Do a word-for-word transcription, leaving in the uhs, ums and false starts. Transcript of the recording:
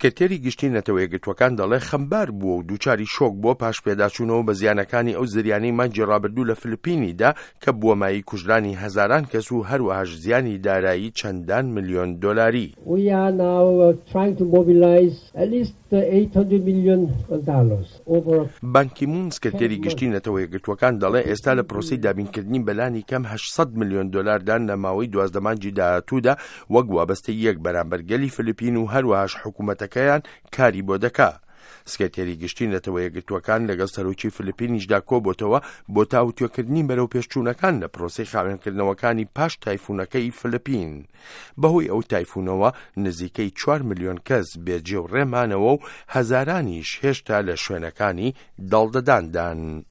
سکرتێری گشتی نەتەوە یەکگرتووەکان دەڵێ خەمبار بووە و دووچاری شۆک بووە پاش پێداچوونەوە بە زیانەکانی ئەو زریانەی مانگی ڕابردوو لە فلپینی دا کە بووە مایەی کوژرانی هەزاران کەس و هەروەهاش زیانی دارایی چەندان ملیۆن دۆلاری. We are now trying to mobilize at least eight hundred million dollars over. بان کی مون سکرتێری گشتی نەتەوە یەکگرتووەکان دەڵێ ئێستا لە پرۆسەی دابینکردنی بەلانی کەم هەشت سەد ملیۆن دۆلاردان لە ماوەی دوازدە مانگی داهاتوودا وەک وابەستەییەک بەرامبەر گەلی فلپین و هەروەهاش حکوومەتەکەیان کاری بۆ دەکا. سکرتێری گشتی نەتەوە یەکگرتووەکان لەگەڵ سەرۆکی فلپینیشدا کۆبۆتەوە بۆ تاوتوێکردنی بەرەوپێشچوونەکان لە پرۆسەی خاوێنکردنەوەکانی پاش تایفونەکەی فلپین. بەهۆی ئەو تایفونەوە نزیکەی چوار ملیۆن کەس بێجێ و ڕێ مانەوە و هەزارانیش هێشتا لە شوێنەکانی داڵدەداندان.